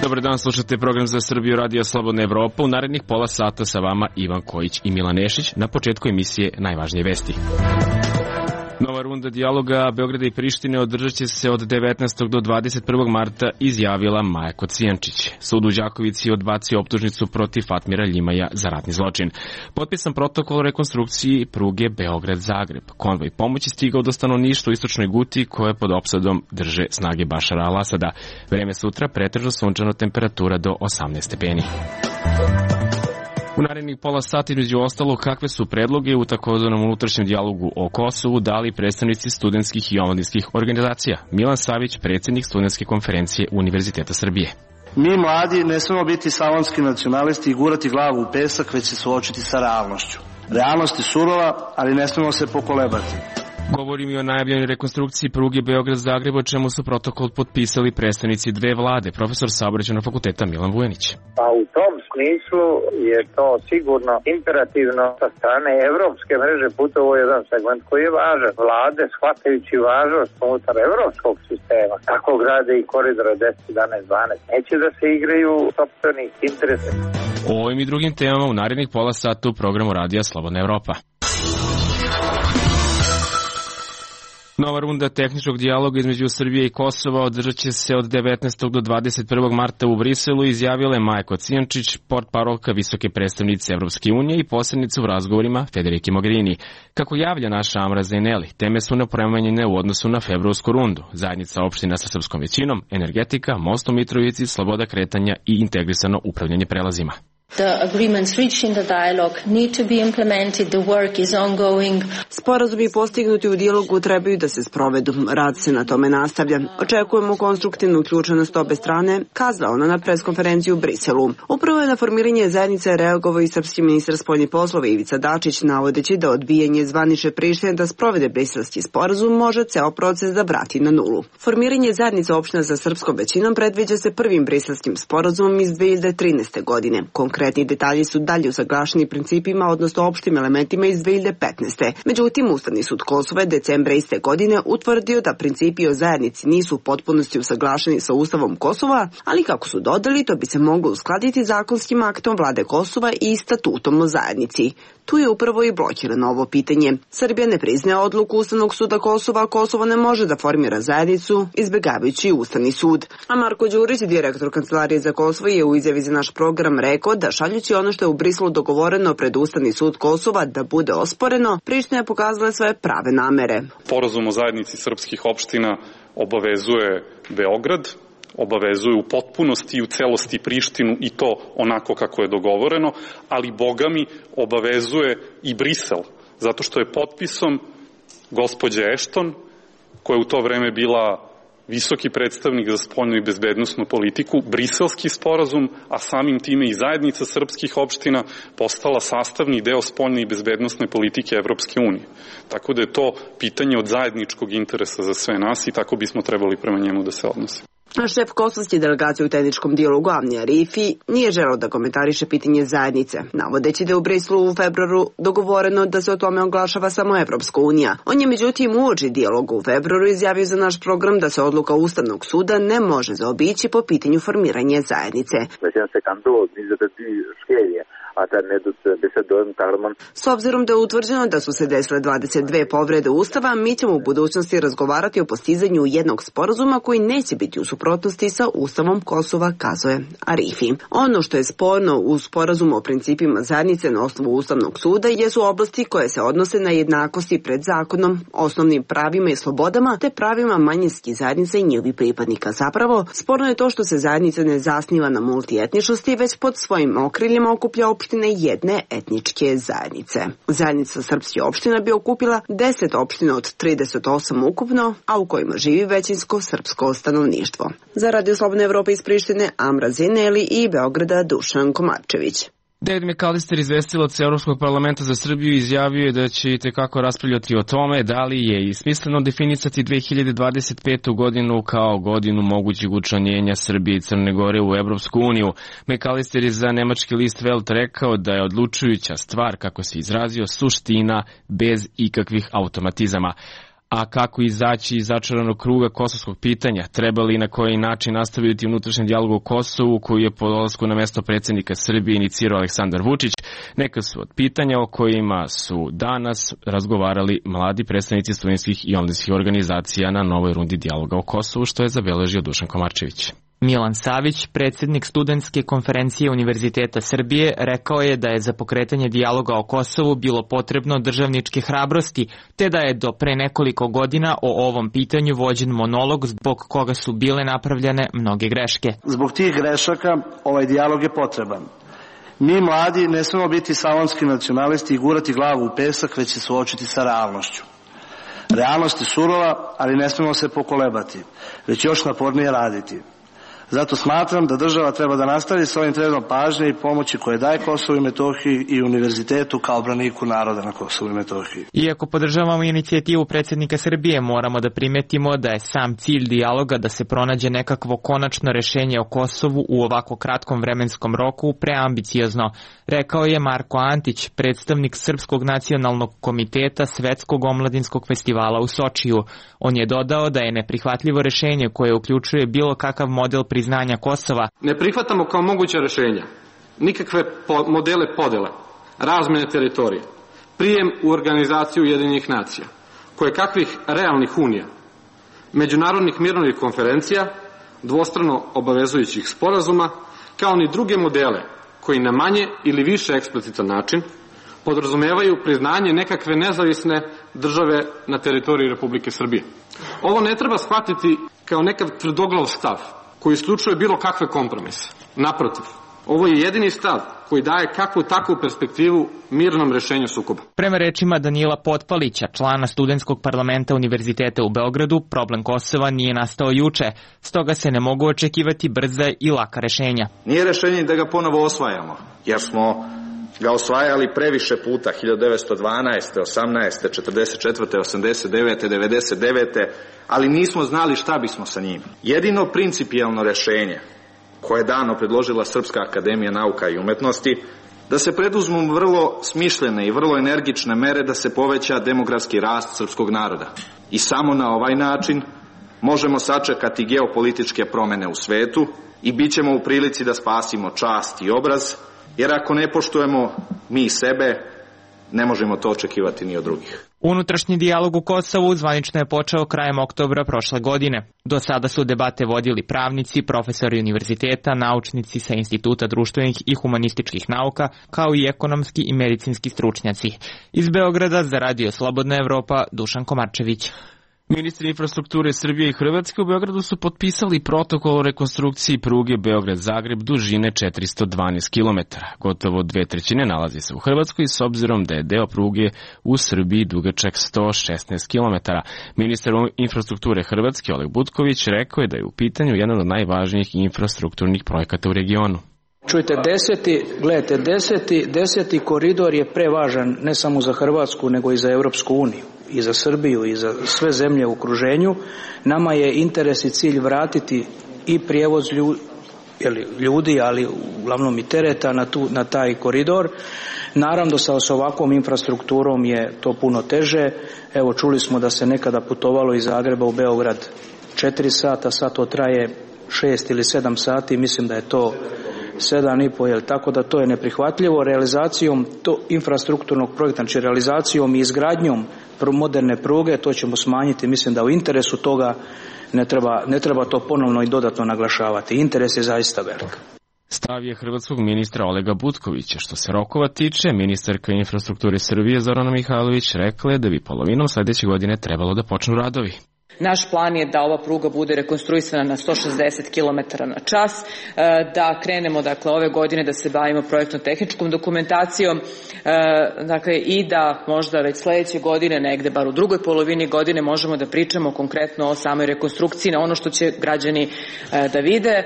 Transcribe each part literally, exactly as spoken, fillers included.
Dobar dan, slušate program za Srbiju, Radio Slobodna Evropa. U narednih pola sata sa vama Ivan Kojić i Milan Nešić. Na početku emisije najvažnije vesti. Nova runda dijaloga Beograda i Prištine održat će se od devetnaestog do dvadeset prvog marta, izjavila Maja Kocijančić. Sud u Đakovici odbacio optužnicu protiv Fatmira Ljimaja za ratni zločin. Potpisan protokol o rekonstrukciji pruge Beograd-Zagreb. Konvoj pomoći stigao do stanovništva u istočnoj Guti koje pod opsadom drže snage Bašara al-Asada. Vreme sutra pretežno sunčano, temperatura do osamnaest stepeni. U narednih pola sata, između ostalo, kakve su predloge u takozvanom unutrašnjem dijalogu o Kosovu dali predstavnici studentskih i omladinskih organizacija. Milan Savić, predsjednik studentske konferencije Univerziteta Srbije. Mi mladi ne smemo biti salonski nacionalisti i gurati glavu u pesak, već se suočiti sa realnošću. Realnost je surova, ali ne smemo se pokolebati. Govorim i o najavljenoj rekonstrukciji pruge Beograd-Zagreb, o čemu su protokol potpisali predstavnici dve vlade, profesor Saobraćajnog fakulteta Milan Vujanić. Pa u tom smislu je to sigurno imperativno sa strane evropske mreže putova, jedan segment koji je važan. Vlade, shvatajući važnost unutar evropskog sistema, tako grade i koridora deset, jedanaest, dvanaest. Neće da se igraju sopstvenih interesa. O ovim i drugim temama u narednih pola sata u programu Radija Slobodna Evropa. Nova runda tehničkog dijaloga između Srbije i Kosova održat će se od devetnaestog do dvadeset prvog marta u Briselu, izjavila je Maja Kocijančić, portparolka visoke predstavnice Evropske unije i posrednica u razgovorima Federike Mogherini. Kako javlja naša Amra Zaineli, teme su nepromenjene u odnosu na februarsku rundu. Zajednica opština sa srpskom većinom, energetika, most u Mitrovici, sloboda kretanja i integrisano upravljanje prelazima. The agreements reached in the dialogue need to be implemented. The work is ongoing. Sporazumi postignuti u dijalogu trebaju da se sprovedu. Rad se na tome nastavlja. Očekujemo konstruktivnu uključenost obe strane, kazala ona na preskonferenciji u Briselu. Upravo je na formiranje zajednice reagovao i srpski ministar spoljnih poslova Ivica Dačić, navodeći da odbijanje zvanične Prištine da sprovede briselski sporazum može ceo proces da vrati na nulu. Formiranje zajednice opština sa srpskom većinom predviđa se prvim briselskim sporazumom iz dve hiljade trinaeste. godine. Konkretni detalji su dalje usaglašeni principima, odnosno opštim elementima iz dve hiljade petnaeste. Međutim, Ustavni sud Kosova je decembra iste godine utvrdio da principi o zajednici nisu u potpunosti usaglašeni sa Ustavom Kosova, ali kako su dodali, to bi se moglo uskladiti zakonskim aktom vlade Kosova i statutom o zajednici. Tu je upravo i blokirano ovo pitanje. Srbija ne priznaje odluku Ustavnog suda Kosova, a Kosovo ne može da formira zajednicu, izbegavajući Ustavni sud. A Marko Đurić, direktor Kancelarije za Kosovo, je u izjavi za naš program rekao da šaljući ono što je u Briselu dogovoreno pred Ustavni sud Kosova da bude osporeno, Priština je pokazala svoje prave namere. Sporazum o zajednici srpskih opština obavezuje Beograd, obavezuje u potpunosti i u celosti Prištinu i to onako kako je dogovoreno, ali bogami obavezuje i Brisel, zato što je potpisom gospođe Ashton, koja je u to vreme bila visoki predstavnik za spoljnu i bezbednosnu politiku, briselski sporazum, a samim time i zajednica srpskih opština postala sastavni deo spoljne i bezbednosne politike Evropske unije. Tako da je to pitanje od zajedničkog interesa za sve nas i tako bismo trebali prema njemu da se odnosimo. Šef kosovske delegacije u tehničkom dijalogu Avni Arifi nije želeo da komentariše pitanje zajednice, navodeći da je u Briselu u februaru dogovoreno da se o tome oglašava samo Evropska unija. On je međutim uoči dijaloga u februaru izjavio za naš program da se odluka Ustavnog suda ne može zaobići po pitanju formiranja zajednice. S obzirom da je utvrđeno da su se desile dvadeset dve povrede Ustava, mi ćemo u budućnosti razgovarati o postizanju jednog sporazuma koji neće biti u suprotnosti sa Ustavom Kosova, kazao je Arifi. Ono što je sporno u sporazumu o principima zajednice na osnovu Ustavnog suda jesu oblasti koje se odnose na jednakosti pred zakonom, osnovnim pravima i slobodama te pravima manjinskih zajednica i njihovih pripadnika. Zapravo, sporno je to što se zajednica ne zasniva na multietničnosti, već pod svojim okriljima okuplja opštine jedne etničke zajednice. Zajednica srpskih opština bi okupila deset opština od trideset osam ukupno, a u kojima živi većinsko srpsko stanovništvo. Za Radio Slobodne Evrope iz Prištine, Amra Zaineli i Beograda Dušan Komarčević. David McAllister, izvestilac Evropskog parlamenta za Srbiju, izjavio je da će itekako raspravljati o tome da li je i smisleno definisati dve hiljade dvadeset petu godinu kao godinu mogućeg učlanjenja Srbije i Crne Gore u Evropsku uniju. McAllister je za nemački list Welt rekao da je odlučujuća stvar, kako se izrazio, suština bez ikakvih automatizama. A kako izaći iz začaranog kruga kosovskog pitanja? Treba li i na koji način nastaviti unutrašnji dijalog o Kosovu koji je po dolasku na mesto predsjednika Srbije inicirao Aleksandar Vučić? Neka su od pitanja o kojima su danas razgovarali mladi predstavnici studentskih i omladinskih organizacija na novoj rundi dijaloga o Kosovu, što je zabeležio Dušan Komarčević. Milan Savić, predsjednik studentske konferencije Univerziteta Srbije, rekao je da je za pokretanje dijaloga o Kosovu bilo potrebno državničke hrabrosti, te da je do pre nekoliko godina o ovom pitanju vođen monolog zbog koga su bile napravljene mnoge greške. Zbog tih grešaka ovaj dijalog je potreban. Mi mladi ne smemo biti salonski nacionalisti i gurati glavu u pesak, već se suočiti sa realnošću. Realnost je surova, ali ne smemo se pokolebati, već još napornije raditi. Zato smatram da država treba da nastavi s ovim trendom pažnje i pomoći koje daje Kosovu i Metohiji i univerzitetu kao braniku naroda na Kosovu i Metohiji. Iako podržavamo inicijativu predsjednika Srbije, moramo da primetimo da je sam cilj dijaloga da se pronađe nekakvo konačno rešenje o Kosovu u ovako kratkom vremenskom roku preambiciozno, rekao je Marko Antić, predstavnik Srpskog nacionalnog komiteta Svetskog omladinskog festivala u Sočiju. On je dodao da je neprihvatljivo rešenje koje uključuje bilo kakav model priznanja Kosova. Ne prihvatamo kao moguća rešenja nikakve po, modele podele, razmene teritorije, prijem u organizaciju Ujedinjenih nacija, koje kakvih realnih unija, međunarodnih mirovnih konferencija, dvostrano obavezujućih sporazuma, kao ni druge modele koji na manje ili više eksplicitan način podrazumevaju priznanje nekakve nezavisne države na teritoriji Republike Srbije. Ovo ne treba shvatiti kao nekav tvrdoglav stav koji isključuje bilo kakve kompromise. Naprotiv, ovo je jedini stav koji daje kakvu takvu perspektivu mirnom rešenju sukoba. Prema rečima Danila Potpalića, člana studentskog parlamenta Univerziteta u Beogradu, problem Kosova nije nastao juče, stoga se ne mogu očekivati brza i laka rešenja. Nije rešenje da ga ponovo osvajamo, jer smo ga osvajali previše puta, hiljadu devetsto dvanaeste, osamnaeste, četrdeset četvrte, osamdeset devete, devedeset devete, ali nismo znali šta bismo sa njim. Jedino principijelno rešenje koje je dano predložila Srpska akademija nauka i umetnosti, da se preduzmu vrlo smišljene i vrlo energične mere da se poveća demografski rast srpskog naroda. I samo na ovaj način možemo sačekati geopolitičke promene u svetu i bit ćemo u prilici da spasimo čast i obraz, jer ako ne poštujemo mi sebe, ne možemo to očekivati ni od drugih. Unutrašnji dijalog u Kosovu zvanično je počeo krajem oktobra prošle godine. Do sada su debate vodili pravnici, profesori univerziteta, naučnici sa Instituta društvenih i humanističkih nauka, kao i ekonomski i medicinski stručnjaci. Iz Beograda za Radio Slobodna Evropa, Dušan Komarčević. Ministri infrastrukture Srbije i Hrvatske u Beogradu su potpisali protokol o rekonstrukciji pruge Beograd-Zagreb dužine četiristo dvanaest kilometara. Gotovo dve trećine nalazi se u Hrvatskoj s obzirom da je deo pruge u Srbiji dugačak sto šesnaest kilometara. Ministar infrastrukture Hrvatske Oleg Butković rekao je da je u pitanju jedan od najvažnijih infrastrukturnih projekata u regionu. Čujte, deseti, gledajte, deseti, deseti koridor je prevažan ne samo za Hrvatsku, nego i za Europsku uniju, i za Srbiju, i za sve zemlje u okruženju. Nama je interes i cilj vratiti i prijevoz ljudi, ali uglavnom i tereta na, tu, na taj koridor. Naravno, sa, sa ovakvom infrastrukturom je to puno teže. Evo, čuli smo da se nekada putovalo iz Zagreba u Beograd četiri sata, sad to traje šest ili sedam sati, mislim da je to sedam i po, jel, tako da to je neprihvatljivo. Realizacijom to infrastrukturnog projekta, znači realizacijom i izgradnjom moderne pruge, to ćemo smanjiti, mislim da u interesu toga ne treba, ne treba to ponovno i dodatno naglašavati. Interes je zaista velik. Stav je hrvatskog ministra Olega Butkovića. Što se rokova tiče, ministarka infrastrukture Srbije Zorana Mihajlović rekla je da bi polovinom sledeće godine trebalo da počnu radovi. Naš plan je da ova pruga bude rekonstruisana na sto šezdeset kilometara na čas, da krenemo dakle ove godine da se bavimo projektno-tehničkom dokumentacijom, dakle i da možda već sledeće godine, negde bar u drugoj polovini godine, možemo da pričamo konkretno o samoj rekonstrukciji na ono što će građani da vide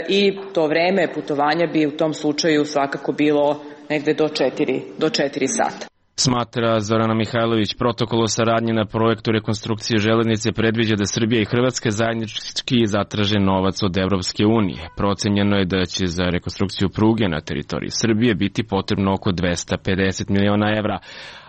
i to vreme putovanja bi u tom slučaju svakako bilo negde do četiri, do četiri sata. Smatra Zorana Mihajlović, protokol o saradnji na projektu rekonstrukcije železnice predviđa da Srbija i Hrvatska zajednički zatraže novac od Evropske unije. Procenjeno je da će za rekonstrukciju pruge na teritoriji Srbije biti potrebno oko dvesta pedeset miliona evra,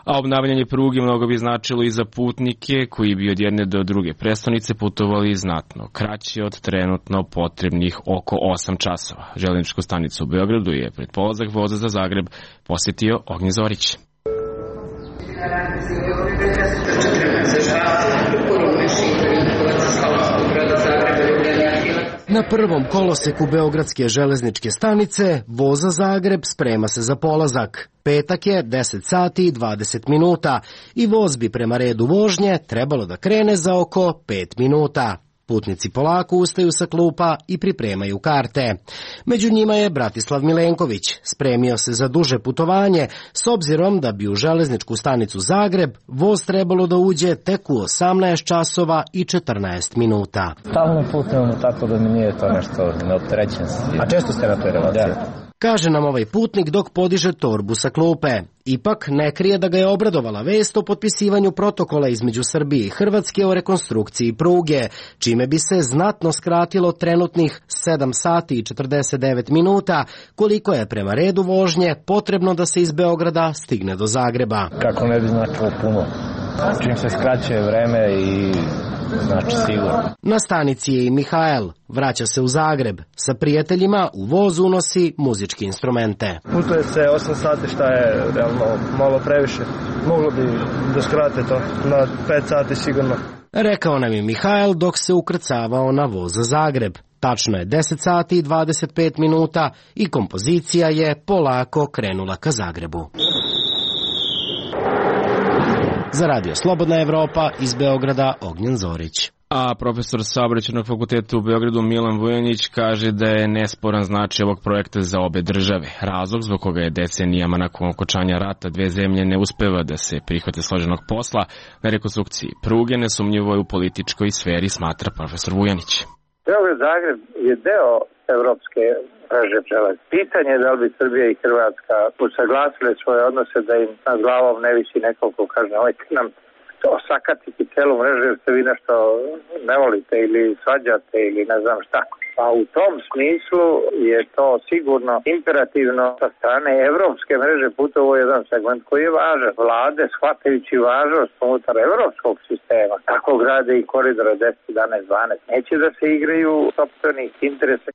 a obnavljanje pruge mnogo bi značilo i za putnike koji bi od jedne do druge prestonice putovali znatno kraće od trenutno potrebnih oko osam časova. Železničku stanicu u Beogradu je pred polazak voza za Zagreb posjetio Ognjen Zorić. Na prvom koloseku Beogradske železničke stanice voza Zagreb sprema se za polazak. Petak je deset sati i dvadeset minuta i voz bi prema redu vožnje trebalo da krene za oko pet minuta. Putnici polako ustaju sa klupa i pripremaju karte. Među njima je Bratislav Milenković. Spremio se za duže putovanje, s obzirom da bi u železničku stanicu Zagreb voz trebalo da uđe tek u osamnaest časova i četrnaest minuta. Stalno putujemo tako da mi nije to nešto neopterećen. A često ste na toj relaciji? Kaže nam ovaj putnik dok podiže torbu sa klupe. Ipak ne krije da ga je obradovala vest o potpisivanju protokola između Srbije i Hrvatske o rekonstrukciji pruge, čime bi se znatno skratilo trenutnih sedam sati i četrdeset devet minuta, koliko je prema redu vožnje potrebno da se iz Beograda stigne do Zagreba. Kako ne bi značilo puno. Čim se skraćuje vreme i znači sigurno. Na stanici je i Mihajl. Vraća se u Zagreb. Sa prijateljima u voz unosi muzičke instrumente. Putuje se osam sati, šta je realno malo previše. Moglo bi da skrate to na pet sati sigurno. Rekao nam je Mihajl dok se ukrcavao na voz za Zagreb. Tačno je deset sati i dvadeset pet minuta i kompozicija je polako krenula ka Zagrebu. Za Radio Slobodna Evropa iz Beograda Ognjen Zorić. A profesor Saobraćajnog fakulteta u Beogradu Milan Vujanić kaže da je nesporan značaj ovog projekta za obe države. Razlog zbog koga je decenijama nakon okončanja rata dve zemlje ne uspeva da se prihvate složenog posla na rekonstrukciji pruge, nesumnjivo je u političkoj sferi, smatra profesor Vujanić. Beograd Zagreb je deo evropske mreže železnice. Pitanje je da li bi Srbija i Hrvatska usaglasile svoje odnose da im nad glavom ne visi neko ko kaže nemojte nam to sakatiti celu mrežu jer se vi nešto ne volite ili svađate ili ne znam šta. Pa u tom smislu je to sigurno imperativno sa strane evropske mreže putova jedan segment koji je važan. Vlade, shvatajući važnost unutar evropskog sistema, tako grade i koridore deset, jedanaest, dvanaest. Neće da se igraju sopstvenih interesa.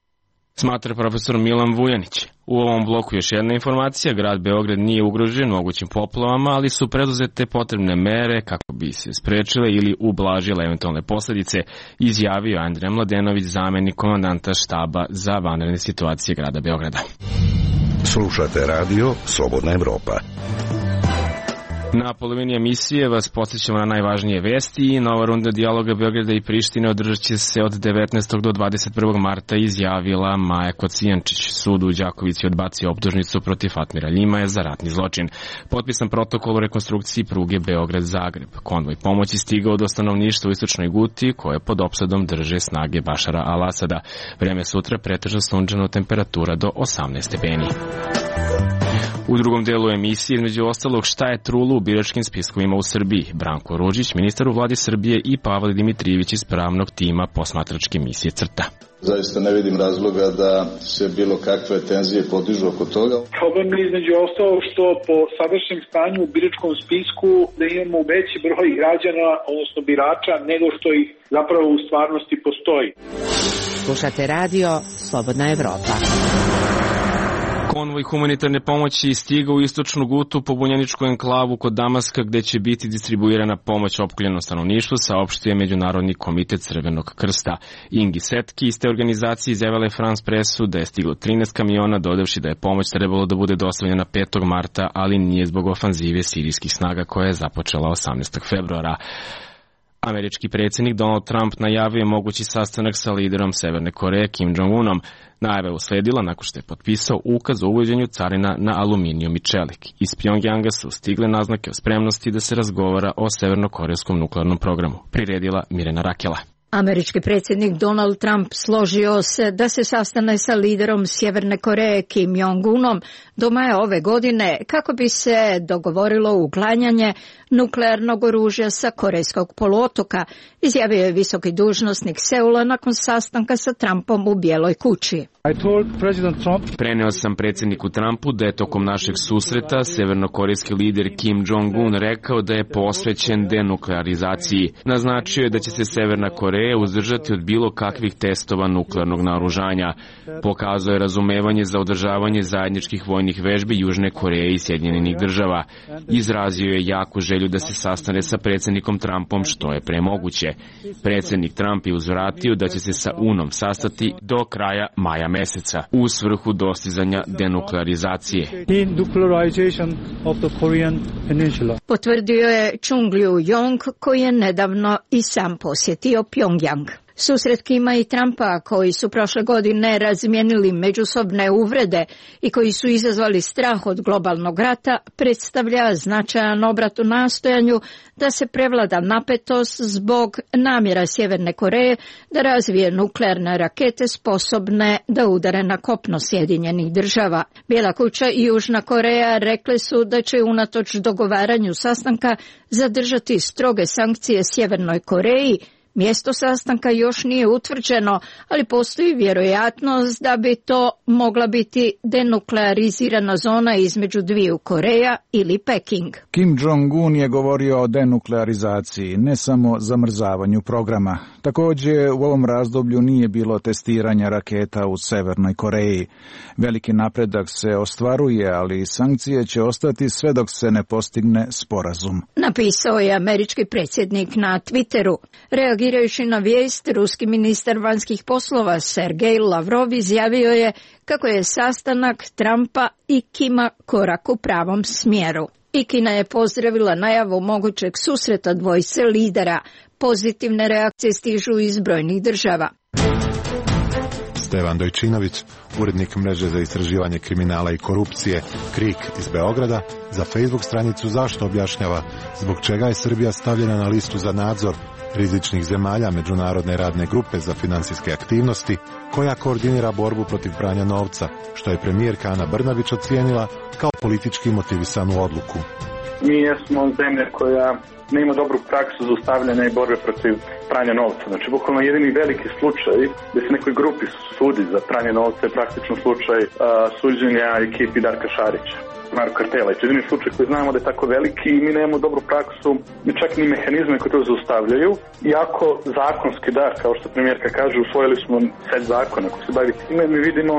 Smatra profesor Milan Vujanić. U ovom bloku još jedna informacija, grad Beograd nije ugrožen mogućim poplavama, ali su preduzete potrebne mere kako bi se sprečile ili ublažile eventualne posledice, izjavio Andrej Mladenović, zamenik komandanta štaba za vanredne situacije grada Beograda. Slušate radio Slobodna Evropa. Na polovini emisije vas podsjećamo na najvažnije vesti i nova runda dijaloga Beograda i Prištine održat će se od devetnaestog do dvadeset prvog marta, izjavila Maja Kocijančić. Sud u Đakovici odbacio optužnicu protiv Fatmira Ljimaja za ratni zločin. Potpisan protokol o rekonstrukciji pruge Beograd-Zagreb. Konvoj pomoći stigao do stanovništva u istočnoj Guti koje pod opsadom drže snage Bašara al-Asada. Vreme sutra pretežno sunčano, temperatura do osamnaest stepeni. U drugom delu emisije, između ostalog, šta je trulo u biračkim spiskovima u Srbiji. Branko Ružić, ministar u vladi Srbije, i Pavle Dimitrijević iz pravnog tima posmatračke misije CRTA. Zaista ne vidim razloga da se bilo kakve tenzije podižu oko toga. Problem je između ostalog što po sadašnjem stanju u biračkom spisku da imamo veći broj građana, odnosno birača, nego što ih zapravo u stvarnosti postoji. Slušate radio Slobodna Evropa. Konvoj humanitarne pomoći stiga u istočnu Gutu, pobunjeničku enklavu kod Damaska, gde će biti distribuirana pomoć opkoljenom stanovništvu, saopštio je Međunarodni komitet Crvenog krsta. Ingi Setki iz te organizacije izjavila je France Pressu da je stiglo trinaest kamiona, dodavši da je pomoć trebalo da bude dostavljena petog marta, ali nije zbog ofanzive sirijskih snaga koja je započela osamnaestog februara. Američki predsjednik Donald Trump najavio mogući sastanak sa liderom Severne Koreje Kim Jong-unom. Najava je usledila nakon što je potpisao ukaz o uvođenju carina na aluminijum i čelik. Iz Pjongjanga su stigle naznake o spremnosti da se razgovara o severnokorejskom nuklearnom programu. Priredila Mirena Rakela. Američki predsjednik Donald Trump složio se da se sastane sa liderom Sjeverne Koreje Kim Jong-unom do maja ove godine kako bi se dogovorilo uklanjanje nuklearnog oružja sa Korejskog poluotoka, izjavio je visoki dužnosnik Seula nakon sastanka sa Trumpom u Bijeloj kući. Preneo sam predsjedniku Trumpu da je tokom našeg susreta severnokorejski lider Kim Jong-un rekao da je posvećen denuklearizaciji. Naznačio je da će se Severna Koreja uzdržati od bilo kakvih testova nuklearnog naoružanja. Pokazao je razumevanje za održavanje zajedničkih vojnih vežbi Južne Koreje i Sjedinjenih država. Izrazio je jaku želju da se sastane sa predsjednikom Trumpom što je premoguće. Predsjednik Trump je uzvratio da će se sa Unom sastati do kraja maja meseca u svrhu dostizanja denuklearizacije. Potvrdio je Chung Liu-yong koji je nedavno i sam posjetio Pjongjang. Susret Kima i Trumpa, koji su prošle godine razmijenili međusobne uvrede i koji su izazvali strah od globalnog rata, predstavlja značajan obrat u nastojanju da se prevlada napetost zbog namjera Sjeverne Koreje da razvije nuklearne rakete sposobne da udare na kopno Sjedinjenih država. Bijela kuća i Južna Koreja rekli su da će unatoč dogovaranju sastanka zadržati stroge sankcije Sjevernoj Koreji. Mjesto sastanka još nije utvrđeno, ali postoji vjerojatnost da bi to mogla biti denuklearizirana zona između dviju Koreja ili Peking. Kim Jong-un je govorio o denuklearizaciji, ne samo zamrzavanju programa. Također u ovom razdoblju nije bilo testiranja raketa u Severnoj Koreji. Veliki napredak se ostvaruje, ali sankcije će ostati sve dok se ne postigne sporazum. Napisao je američki predsjednik na Twitteru. Reagirajući na vijest, ruski ministar vanjskih poslova Sergej Lavrov izjavio je kako je sastanak Trumpa i Kima korak u pravom smjeru. I Kina je pozdravila najavu mogućeg susreta dvojice lidera. Pozitivne reakcije stižu iz brojnih država. Stevan Dojčinović, urednik mreže za istraživanje kriminala i korupcije KRIK iz Beograda, za Facebook stranicu Zašto objašnjava zbog čega je Srbija stavljena na listu za nadzor rizičnih zemalja Međunarodne radne grupe za finansijske aktivnosti, koja koordinira borbu protiv pranja novca, što je premijerka Ana Brnabić ocijenila kao politički motivisanu odluku. Mi jesmo zemlja koja nema dobru praksu za ustavljanje i borbe protiv pranja novca. Znači, bukvalno jedini veliki slučaj gdje se nekoj grupi sudi za pranje novca je praktično slučaj uh, suđenja ekipi Darka Šarića, Marko Kartela. I to je jedini slučaj koji znamo da je tako veliki i mi nemamo dobru praksu, ni čak ni mehanizme koji to zaustavljaju. Iako zakonski da, kao što premijerka kaže, usvojili smo set zakona koji se bavi time, mi vidimo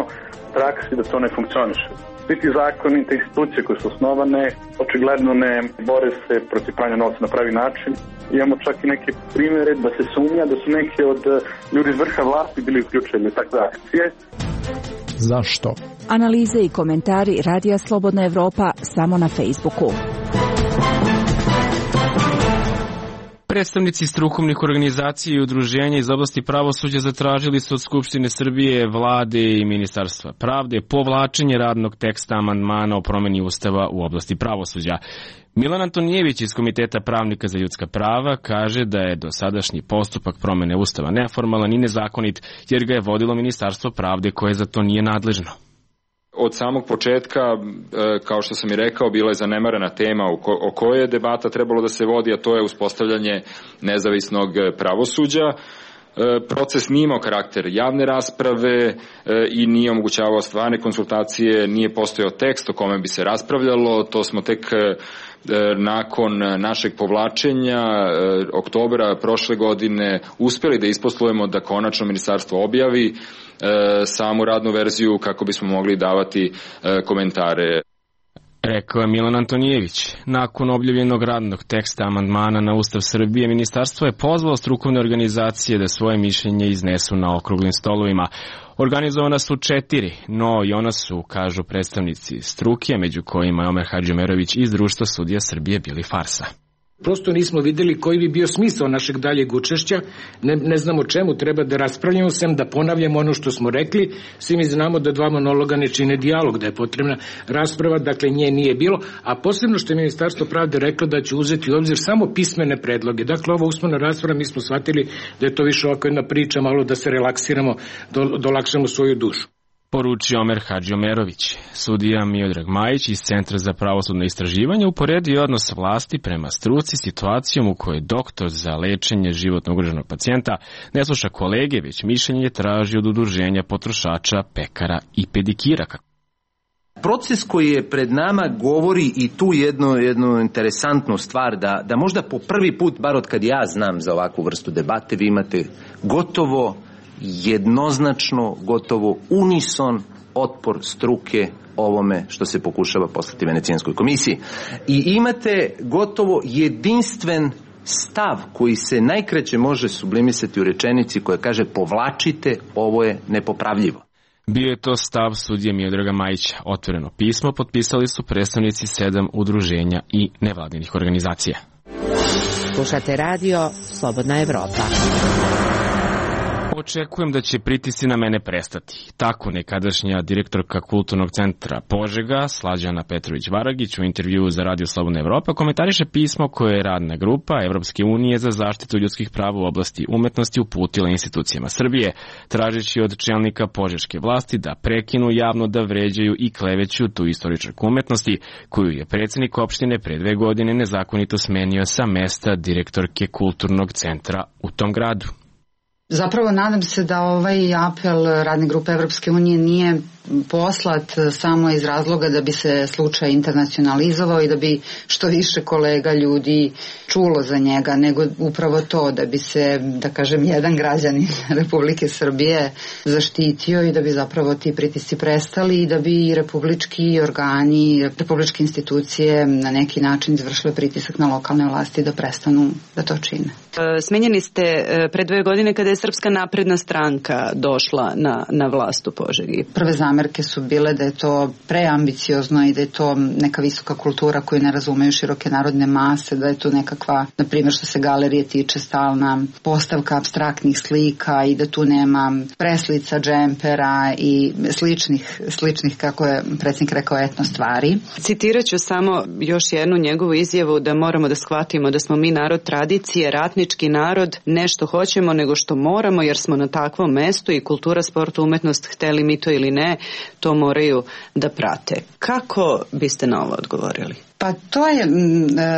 praksi da to ne funkcioniše. Svi ti zakoni, te institucije koje su osnovane, očigledno ne bore se protiv pranja novca na pravi način. Imamo čak i neke primjere da se sumnja da su neki od ljudi iz vrha vlasti bili uključeni u takve akcije. Zašto? Analize i komentari Radija Slobodna Evropa samo na Facebooku. Predstavnici strukovnih organizacija i udruženja iz oblasti pravosuđa zatražili su od Skupštine Srbije, vlade i Ministarstva pravde povlačenje radnog teksta amandmana o promeni Ustava u oblasti pravosuđa. Milan Antonijević iz Komiteta pravnika za ljudska prava kaže da je dosadašnji postupak promene Ustava neformalan i nezakonit jer ga je vodilo Ministarstvo pravde koje za to nije nadležno. Od samog početka, kao što sam i rekao, bila je zanemarena tema o kojoj je debata trebalo da se vodi, a to je uspostavljanje nezavisnog pravosuđa. Proces nije imao karakter javne rasprave i nije omogućavao stvarne konsultacije, nije postojao tekst o kome bi se raspravljalo, to smo tek nakon našeg povlačenja oktobra prošle godine uspjeli da isposlujemo da konačno ministarstvo objavi samu radnu verziju kako bismo mogli davati komentare. Rekao je Milan Antonijević. Nakon objavljenog radnog teksta amandmana na Ustav Srbije, ministarstvo je pozvalo strukovne organizacije da svoje mišljenje iznesu na okruglim stolovima. Organizovana su četiri, no i ona su, kažu predstavnici struke, među kojima je Omer Hadžiomerović iz Društva sudija Srbije, bili farsa. Prosto nismo videli koji bi bio smisao našeg daljeg učešća, ne, ne znamo čemu treba da raspravljamo, sem da ponavljamo ono što smo rekli, svi mi znamo da dva monologa ne čine dijalog, da je potrebna rasprava, dakle nje nije bilo, a posebno što je Ministarstvo pravde reklo da će uzeti u obzir samo pismene predloge. Dakle, ova usmena rasprava, mi smo shvatili da je to više ovako jedna priča, malo da se relaksiramo, do, dolakšamo svoju dušu. Poručio Omer Hadžiomerović. Sudija Miodrag Majić iz Centra za pravosudno istraživanje uporedio odnos vlasti prema struci situacijom u kojoj doktor za lečenje životno ugroženog pacijenta ne sluša kolege, već mišljenje traži od udruženja potrošača, pekara i pedikira. Proces koji je pred nama govori i tu jednu, jednu interesantnu stvar, da, da možda po prvi put, bar od kad ja znam za ovakvu vrstu debate, vi imate gotovo jednoznačno, gotovo unison otpor struke ovome što se pokušava poslati Venecijanskoj komisiji. I imate gotovo jedinstven stav koji se najkraće može sublimisati u rečenici koja kaže povlačite, ovo je nepopravljivo. Bio je to stav sudije Miodraga Majića. Otvoreno pismo potpisali su predstavnici sedam udruženja i nevladinih organizacija. Slušate radio Slobodna Evropa. Očekujem da će pritisci na mene prestati. Tako nekadašnja direktorka Kulturnog centra Požega, Slađana Petrović-Varagić, u intervjuu za Radio Slobodna Evropa komentariše pismo koje je radna grupa Evropske unije za zaštitu ljudskih prava u oblasti umetnosti uputila institucijama Srbije, tražeći od čelnika požeške vlasti da prekinu javno da vređaju i kleveću tu istoričarku umetnosti, koju je predsjednik opštine pre dve godine nezakonito smenio sa mesta direktorke Kulturnog centra u tom gradu. Zapravo nadam se da ovaj apel radne grupe Evropske unije nije poslat samo iz razloga da bi se slučaj internacionalizovao i da bi što više kolega ljudi čulo za njega, nego upravo to da bi se, da kažem, jedan građanin Republike Srbije zaštitio i da bi zapravo ti pritisci prestali i da bi republički organi, republičke institucije na neki način izvršile pritisak na lokalne vlasti da prestanu da to čine. Smenjeni ste pre dve godine kada je Srpska napredna stranka došla na, na vlast u Požegi. Prve zamerke su bile da je to preambiciozno i da je to neka visoka kultura koju ne razumeju široke narodne mase, da je to nekakva, na primjer što se galerije tiče, stalna postavka apstraktnih slika i da tu nema preslica, džempera i sličnih, sličnih kako je predsjednik rekao, etno stvari. Citirat ću samo još jednu njegovu izjavu da moramo da shvatimo da smo mi narod tradicije, ratnički narod, ne što hoćemo nego što moramo jer smo na takvom mestu i kultura, sport, umetnost, hteli mi to ili ne, to moraju da prate. Kako biste na ovo odgovorili? Pa to je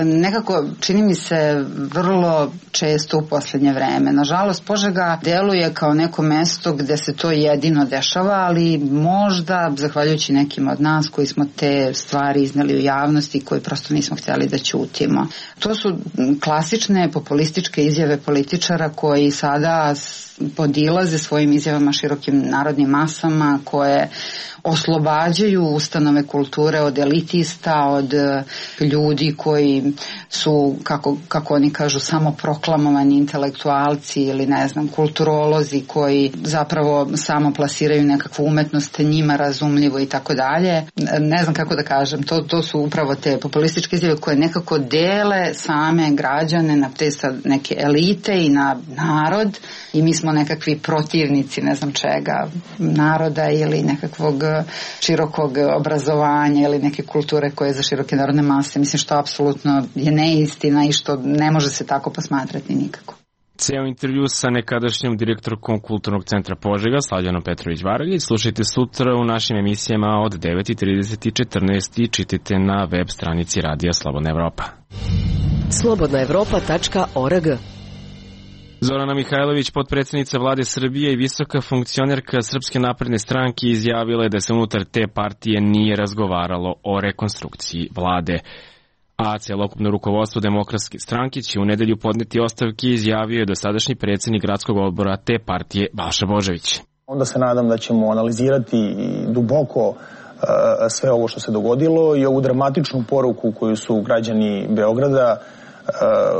nekako, čini mi se, vrlo često u posljednje vreme. Nažalost, Požega deluje kao neko mesto gde se to jedino dešava, ali možda, zahvaljujući nekim od nas koji smo te stvari izneli u javnosti i koji prosto nismo htjeli da ćutimo. To su klasične populističke izjave političara koji sada podilaze svojim izjavama širokim narodnim masama, koje oslobađaju ustanove kulture od elitista, od ljudi koji su, kako, kako oni kažu, samo proklamovani intelektualci ili ne znam, kulturolozi koji zapravo samo plasiraju nekakvu umetnost njima razumljivo i tako dalje. Ne znam kako da kažem, to, to su upravo te populističke izjave koje nekako dele same građane na te sad neke elite i na narod i mi smo nekakvi protivnici ne znam čega, naroda ili nekakvog širokog obrazovanja ili neke kulture koje je za široke narodne mase. Mislim što apsolutno je neistina i što ne može se tako posmatrati nikako. Ceo intervju sa nekadašnjom direktorkom Kulturnog centra Požega, Slađanom Petrović-Varagić, slušajte sutra u našim emisijama od devet i trideset i četrnaest i čitajte na web stranici Radija Slobodna Evropa. slobodna evropa tačka org. Zorana Mihajlović, potpredsjednica vlade Srbije i visoka funkcionerka Srpske napredne stranke, izjavila je da se unutar te partije nije razgovaralo o rekonstrukciji vlade. A celokupno rukovodstvo Demokratske stranke će u nedelju podneti ostavke, izjavio je dosadašnji predsjednik gradskog odbora te partije Balša Božović. Onda se nadam da ćemo analizirati duboko sve ovo što se dogodilo i ovu dramatičnu poruku koju su građani Beograda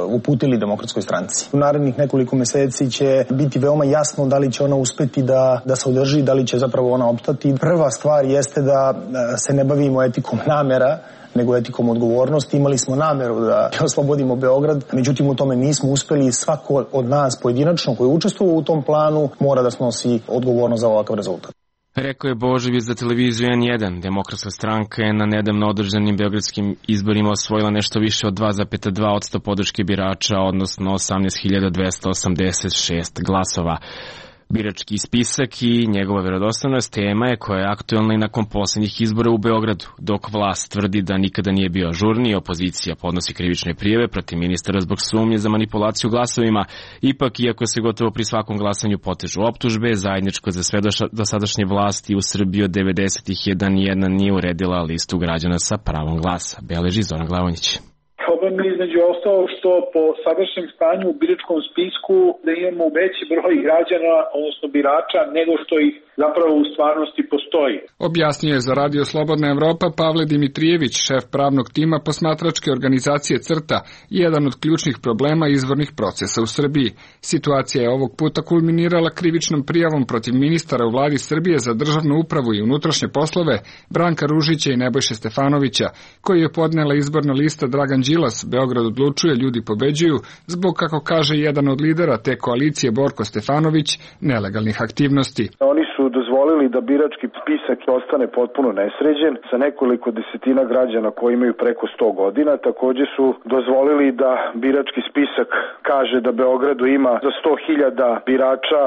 uputili Demokratskoj stranci. U narednih nekoliko meseci će biti veoma jasno da li će ona uspeti da, da se održi, da li će zapravo ona opstati. Prva stvar jeste da se ne bavimo etikom namera, nego etikom odgovornosti. Imali smo nameru da oslobodimo Beograd, međutim u tome nismo uspeli. Svako od nas pojedinačno koji učestvuje u tom planu mora da snosi odgovornost za ovakav rezultat. Rekao je Božović za televiziju en jedan. Demokratska stranka je na nedavno održanim beogradskim izborima osvojila nešto više od dva zarez dva posto podrške birača, odnosno osamnaest hiljada dvesta osamdeset šest glasova. Birački spisak i njegova verodostojnost tema je koja je aktuelna i nakon poslednjih izbora u Beogradu. Dok vlast tvrdi da nikada nije bio ažurniji, opozicija podnosi krivične prijave protiv ministara zbog sumnje za manipulaciju glasovima. Ipak, iako se gotovo pri svakom glasanju potežu optužbe, zajedničko za sve dosadašnje vlasti u Srbiji od devedesetih da nijedna nije uredila listu građana sa pravom glasa. Beleži Zoran Glavonjić. Problem je između ostalo što po sadašnjem stanju u biračkom spisku da imamo veći broj građana, odnosno birača, nego što ih zapravo u stvarnosti postoji. Objasnio je za Radio Slobodna Evropa Pavle Dimitrijević, šef pravnog tima posmatračke organizacije CRTA, jedan od ključnih problema izbornih procesa u Srbiji. Situacija je ovog puta kulminirala krivičnom prijavom protiv ministara u vladi Srbije za državnu upravu i unutrašnje poslove Branka Ružića i Nebojše Stefanovića, koji je podnela izborna lista Dragan Đilas, Beograd odlučuje, ljudi pobeđuju, zbog, kako kaže jedan od lidera te koalicije Borko Stefanović, nelegalnih aktivnosti. Oni su dozvolili da birački spisak ostane potpuno nesređen sa nekoliko desetina građana koji imaju preko sto godina. Takođe su dozvolili da birački spisak kaže da Beogradu ima za sto hiljada birača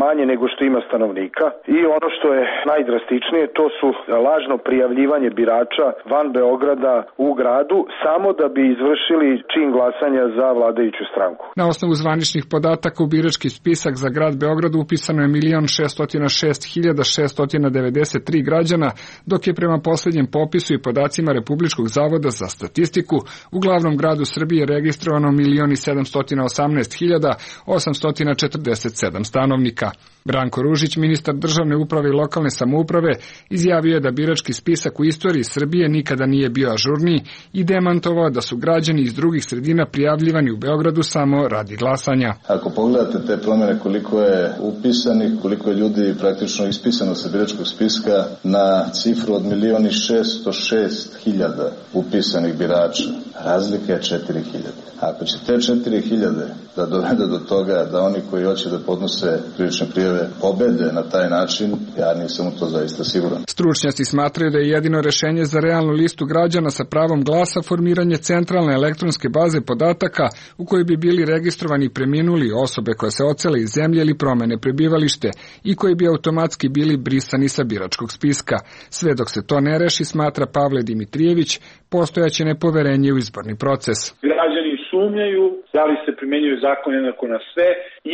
manje nego što ima stanovnika. I ono što je najdrastičnije, to su lažno prijavljivanje birača van Beograda u gradu, samo da bi izvršili čin glasanja za vladajuću stranku. Na osnovu zvaničnih podataka u birački spisak za grad Beograd upisano je milion šeststo šest hiljada šeststo devedeset tri građana, dok je prema poslednjem popisu i podacima Republičkog zavoda za statistiku u glavnom gradu Srbije registrovano milion sedamsto osamnaest hiljada osamsto četrdeset sedam stanovnika. Branko Ružić, ministar državne uprave i lokalne samouprave, izjavio je da birački spisak u istoriji Srbije nikada nije bio ažurniji i demantovao da su građani iz drugih sredina prijavljivani u Beogradu samo radi glasanja. Ako pogledate te promene, koliko je upisanih, koliko je ljudi praktično ispisano sa biračkog spiska na cifru od milion šeststo šest hiljada upisanih birača, razlika je četiri hiljade. Ako će te četiri hiljade da dovede do toga da oni koji hoće da podnose krivične prijave pobede na taj način, ja nisam u to zaista siguran. Stručnjaci smatraju da je jedino rešenje za realnu listu građana sa pravom glasa formiranje centralne elektronske baze podataka u kojoj bi bili registrovani preminuli osobe koje se ocele iz zemlje ili promene prebivalište i koji bi automatski bili brisani sa biračkog spiska. Sve dok se to ne reši, smatra Pavle Dimitrijević, postojaće nepoverenje u izborni proces. Građani sumnjaju da li se primenjuju zakon jednako na sve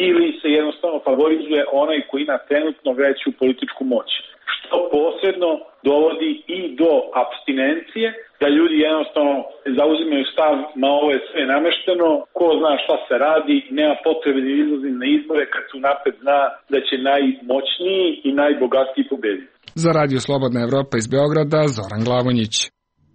ili se jednostavno favorizuje onaj koji ima trenutno veću političku moć. Što posredno dovodi i do apstinencije, da ljudi jednostavno zauzimaju stav, ma ovo je sve namešteno, ko zna šta se radi, nema potrebe da izlazim na izbore kad su napred zna da će najmoćniji i najbogatiji pobediti. Za Radio Slobodna Evropa iz Beograda, Zoran Glavonjić.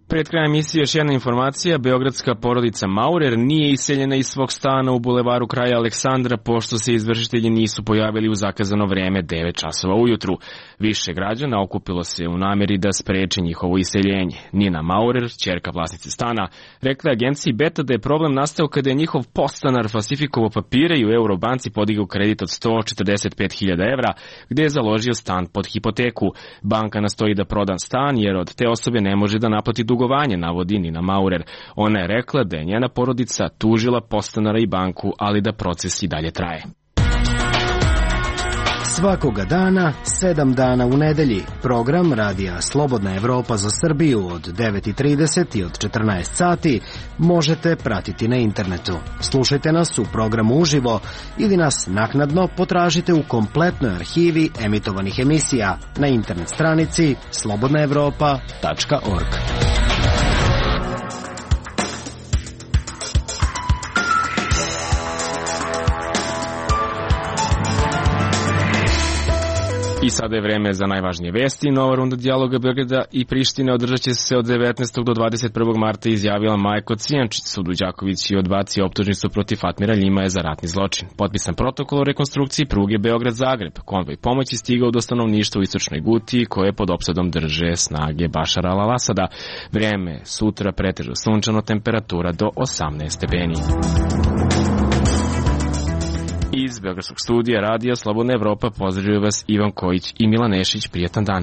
Pred krajem emisije još jedna informacija. Beogradska porodica Maurer nije iseljena iz svog stana u bulevaru Kralja Aleksandra pošto se izvršitelji nisu pojavili u zakazano vreme devet časova ujutru. Više građana okupilo se u nameri da spreče njihovo iseljenje. Nina Maurer, ćerka vlasnice stana, rekla je agenciji Beta da je problem nastao kada je njihov podstanar falsifikovao papire i u Eurobanci podigao kredit od sto četrdeset pet hiljada evra gde je založio stan pod hipoteku. Banka nastoji da proda stan jer od te osobe ne može da naplati dugovanje, navodi Nina Maurer. Ona je rekla da je njena porodica tužila podstanara i banku, ali da proces i dalje traje. Svakoga dana, sedam dana u nedelji, program Radija Slobodna Evropa za Srbiju od devet i trideset i od četrnaest sati možete pratiti na internetu. Slušajte nas u programu uživo ili nas naknadno potražite u kompletnoj arhivi emitovanih emisija na internet stranici slobodna evropa tačka org. I sada je vreme za najvažnije vesti. Nova runda dijaloga Beograda i Prištine održat će se od devetnaestog do dvadeset prvog marta, izjavila Majko Cijančić. Sud u Đakovići odbacio optužnicu protiv Fatmira Ljimaja za ratni zločin. Potpisan protokol o rekonstrukciji pruge Beograd-Zagreb. Konvoj pomoći stigao do stanovništva u istočnoj Gutiji, koje pod opsadom drže snage Bašara al-Asada. Vreme sutra pretežno sunčano, temperatura do osamnaest stepeni. Iz Beogradskog studija Radija Slobodna Evropa pozdravljaju vas Ivan Kojić i Milan Nešić. Prijetan dan.